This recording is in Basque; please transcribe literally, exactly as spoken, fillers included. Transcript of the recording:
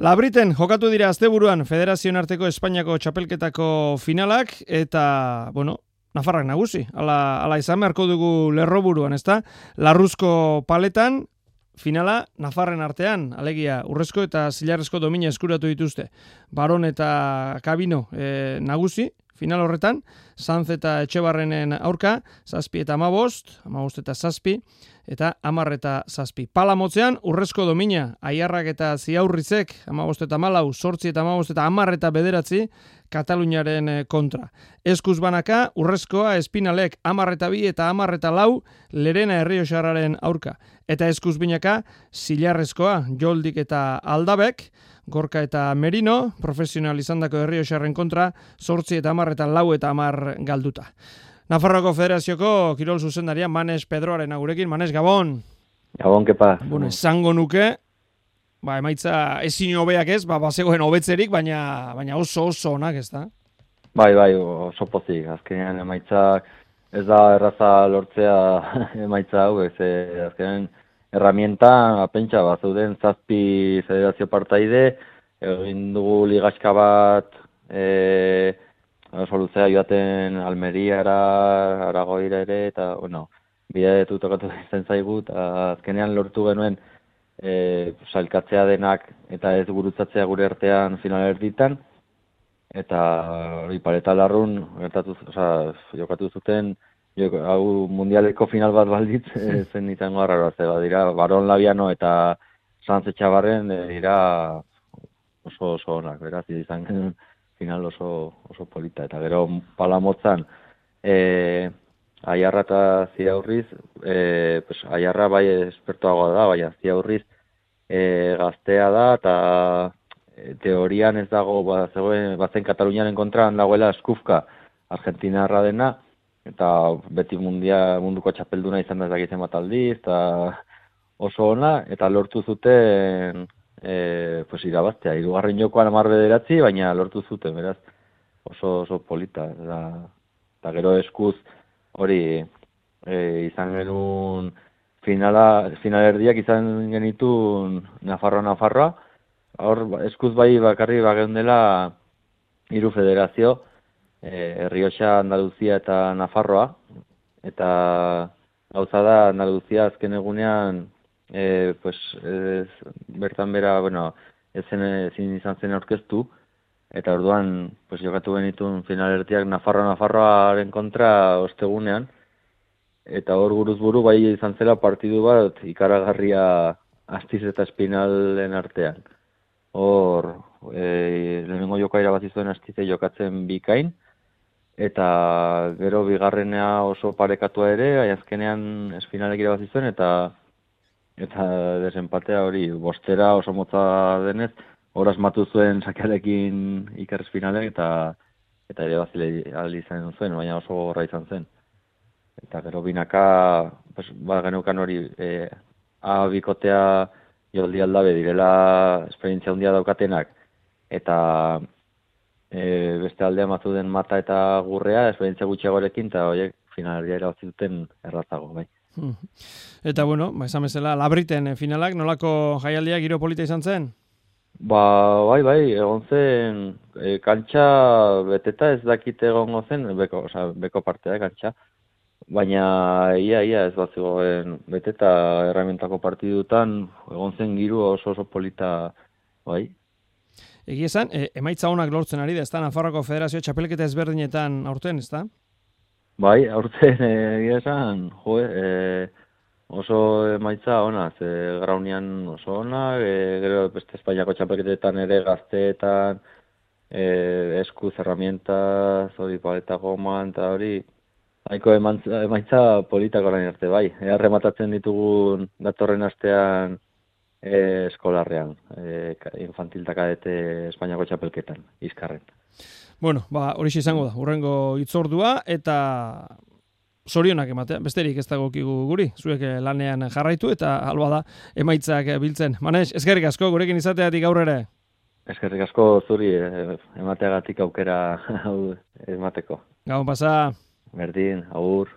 Labriten jokatu dira asteburuan Federazioen arteko Espainiako txapelketako finalak eta, bueno, Nafarrak nagusi. Ala, ala izan beharko dugu lerroburuan, ezta? Larruzko paletan finala Nafarren artean, alegia urrezko eta zilarrezko domina eskuratu dituzte. Baron eta Kabino e, nagusi final horretan, Sanz eta Etxebarrenen aurka, zazpi eta amabost, amabost eta zazpi, eta amar eta zazpi. Pala motzean, urrezko domina, Aiarrak eta Ziaurrizek, amabost eta malau, sortzi eta amabost eta amar eta bederatzi, Kataluniaren kontra. Eskuz banaka, urrezkoa, Espinalek, amar eta bi eta amar eta lau, Lerena Errioxarraren aurka. Eta eskuz binaka, zilarrezkoa, Joldik eta Aldabek, Gorka eta Merino, profesional izandako Errioxarren kontra, sortzi eta amar eta lau eta amar galduta. Nafarroko Federazioko kirol zuzendaria Manes Pedroaren agurekin. Manes, Gabon! Gabon, kepa. Bueno, esango nuke, ba, emaitza ezin hobeak ez, ba, bazegoen hobetzerik, baina, baina oso oso onak ez da? Bai, bai, oso pozik. Azkenean emaitzak ez da erraza lortzea emaitza hau, ez azkenean herramienta, pentsa, bat zeuden zazpi federazio partaide, egin dugu ligaxka bat, e, oso luzea joaten Almeriara, Aragoira ere, eta, bueno, bideetu tokatu izan zaigu, eta azkenean lortu genuen e, sailkatzea denak eta ez gurutzatzea gure artean final erditan, eta hori pareta larrun, gertatu, oza, jokatu zuten, hau mundialeko final bat balditz, zen izango arraroa, zeba dira, Baron Labiano eta Sanz Etxebarren dira oso oso onak, beraz, izan genuen final oso, oso polita. Eta gero palamotzan, e, Aiarra eta Ziaurriz, e, pues, Aiarra bai espertoagoa da, baina Ziaurriz e, gaztea da, eta e, teorian ez dago, ba, zegoen, bazen Kataluniaren kontra dagoela Eskufka, Argentinarra dena, eta beti mundia, munduko txapelduna izan da ezagitzen bat aldiz, eta oso ona, eta lortu zuten e, pues, irabaztea. Hirugarren jokoan hamar bederatzi, baina lortu zuten, beraz, oso, oso polita. Eta, eta gero eskuz hori e, izan genuen finala, finalerdiak izan genitun Nafarroa-Nafarroa, hor eskuz bai bakarri bageundela hiru federazio, Eh, Errioxa, Andaluzia eta Nafarroa, eta gauza da Andaluzia azken egunean eh, pues, ez, bertan bera, bueno, ezen ezin izan zen aurkeztu, eta orduan pues, jokatu genitun finalertiak Nafarroa-Nafarroaren kontra ostegunean, eta hor buruz buru bai izan zela partidu bat ikaragarria Astiz eta Espinalen artean. Hor, eh, lehenengo joka irabazi zuen Astize jokatzen bikain, eta gero bigarrenea oso parekatua ere, azkenean Espinalek irabazi zuen, eta eta desempatea hori bostera oso motza denez, hor asmatu zuen sakearekin Iker Espinalek, eta eta ere bazile izan zuen, baina oso gorra izan zen. Eta gero binaka, pues, ba, geneukan hori, e, A bikotea Joldi Aldabe direla esperientzia handia daukatenak, eta E, beste aldea mazu den Mata eta Gurrea, esperientzia gutxiagorekin, eta horiek finalerdia irabazi duten errazago, bai. Eta, bueno, ba, esan bezala, Labriten finalak, nolako jaialdia giro polita izan zen? Ba, bai, bai, egon zen, e, kantxa beteta ez dakite egongo zen, beko, oza, beko partea, kantxa, baina ia, ia ez bat zegoen beteta erramientako partidutan, egon zen giro oso oso polita, bai. Egia esan, e, emaitza honak lortzen ari da, ez da Nafarroko Federazio txapelketa ezberdinetan aurten, ez da? Bai, aurten egia esan, jo, e, oso emaitza ona, ze graunian oso ona, e, gero beste Espainiako txapelketetan ere gazteetan, e, eskuz, herramientaz, hori paleta goman, eta hori, haiko emaitza, emaitza politak orain arte, bai. Ea rematatzen ditugun datorren astean, E, eskolarrean, e, infantil eta kadete Espainiako txapelketan, Izkarren. Bueno, ba, hori izango da, hurrengo hitzordua, eta zorionak ematea, besterik ez dagokigu guri, zuek lanean jarraitu, eta alba da, emaitzak biltzen. Manes, eskerrik asko, gurekin izateatik gaur ere. Eskerrik asko zuri, emateagatik aukera emateko. Gabon pasa. Berdin, agur.